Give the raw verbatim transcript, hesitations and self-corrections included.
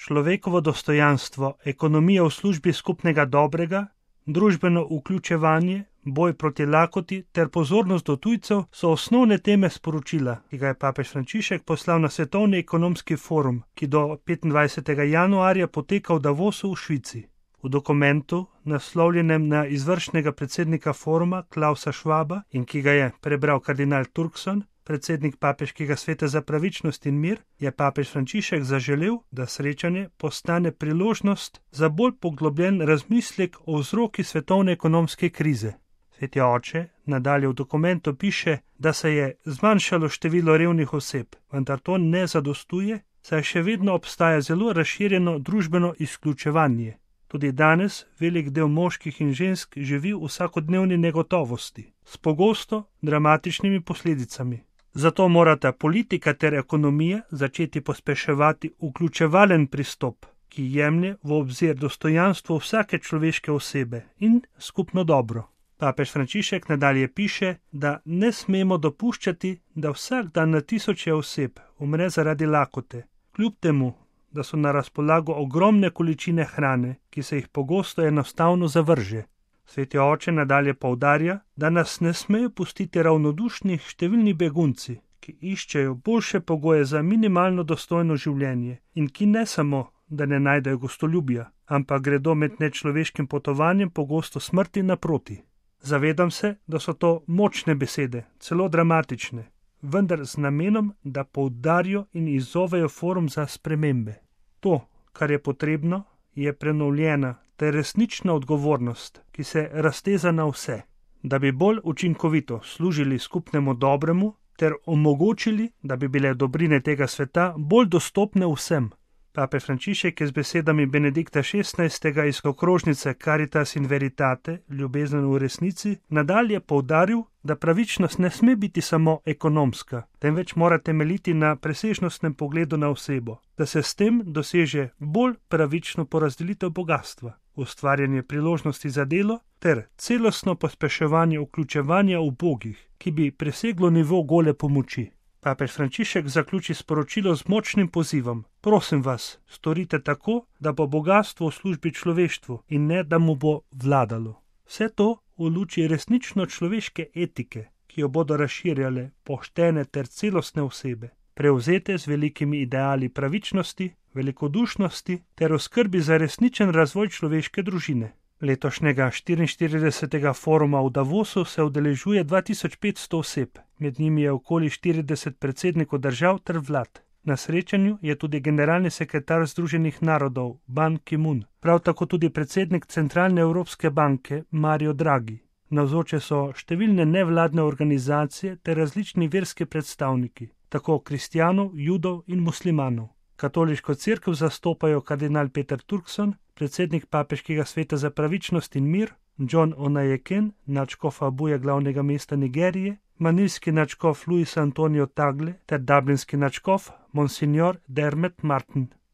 človekovo dostojanstvo, ekonomija v službi skupnega dobrega, družbeno vključevanje, boj proti lakoti ter pozornost do tujcev so osnovne teme sporočila, ki ga je papež Frančišek poslal na Svetovni ekonomski forum, ki do petindvajsetega januarja poteka v Davosu v Švici. V dokumentu, naslovljenem na izvršnega predsednika foruma Klausa Schwaba in ki ga je prebral kardinal Turkson, predsednik Papeškega sveta za pravičnost in mir, je papež Frančišek zaželel, da srečanje postane priložnost za bolj poglobljen razmislek o vzroki svetovne ekonomske krize. Sveti oče nadalje v dokumentu piše, da se je zmanjšalo število revnih oseb, vendar to ne zadostuje, saj še vedno obstaja zelo razširjeno družbeno izključevanje. Tudi danes velik del moških in žensk živi v vsakodnevni negotovosti, s pogosto dramatičnimi posledicami. Zato morata politika ter ekonomija začeti pospeševati vključevalen pristop, ki jemlje v obzir dostojanstvo vsake človeške osebe in skupno dobro. Papež Frančišek nadalje piše, da ne smemo dopuščati, da vsak dan na tisoče oseb umre zaradi lakote, kljub temu, da so na razpolago ogromne količine hrane, ki se jih pogosto enostavno zavrže. Sveti oče nadalje poudarja, da nas ne smejo pustiti ravnodušni številni begunci, ki iščejo boljše pogoje za minimalno dostojno življenje in ki ne samo, da ne najdejo gostoljubja, ampak gredo med nečloveškim potovanjem pogosto smrti naproti. Zavedam se, da so to močne besede, celo dramatične, vendar z namenom, da poudarijo in izzovejo forum za spremembe. To, kar je potrebno, je prenovljena ter resnična odgovornost, ki se razteza na vse, da bi bolj učinkovito služili skupnemu dobremu ter omogočili, da bi bile dobrine tega sveta bolj dostopne vsem. Pape Frančišek je z besedami Benedikta šestnajstega iz okrožnice Caritas in Veritate, ljubezen v resnici, nadalje poudaril, da pravičnost ne sme biti samo ekonomska, temveč mora temeljiti na presežnostnem pogledu na osebo, da se s tem doseže bolj pravično porazdelitev bogastva, ustvarjanje priložnosti za delo ter celostno pospeševanje vključevanja ubogih, ki bi preseglo nivo gole pomoči. Papež Frančišek zaključi sporočilo z močnim pozivom: prosim vas, storite tako, da bo bogastvo v službi človeštvu in ne, da mu bo vladalo. Vse to v luči resnično človeške etike, ki jo bodo razširjale poštene ter celostne osebe, prevzete z velikimi ideali pravičnosti, velikodušnosti ter v skrbi za resničen razvoj človeške družine. Letošnjega štiriinštiridesetega foruma v Davosu se udeležuje dva tisoč petsto oseb, med njimi je okoli štirideset predsednikov držav ter vlad. Na srečanju je tudi generalni sekretar Združenih narodov Ban Ki-moon, prav tako tudi predsednik Centralne Evropske banke Mario Draghi. Navzoče so številne nevladne organizacije ter različni verski predstavniki, tako kristjanov, judov in muslimanov. Katoliško cerkev zastopajo kardinal Peter Turkson, predsednik Papeškega sveta za pravičnost in mir, John Onayeken, nadškof Abuja glavnega mesta Nigerije, manilski nadškof Luis Antonio Tagle ter dublinski nadškof Monsignor Dermot Martin.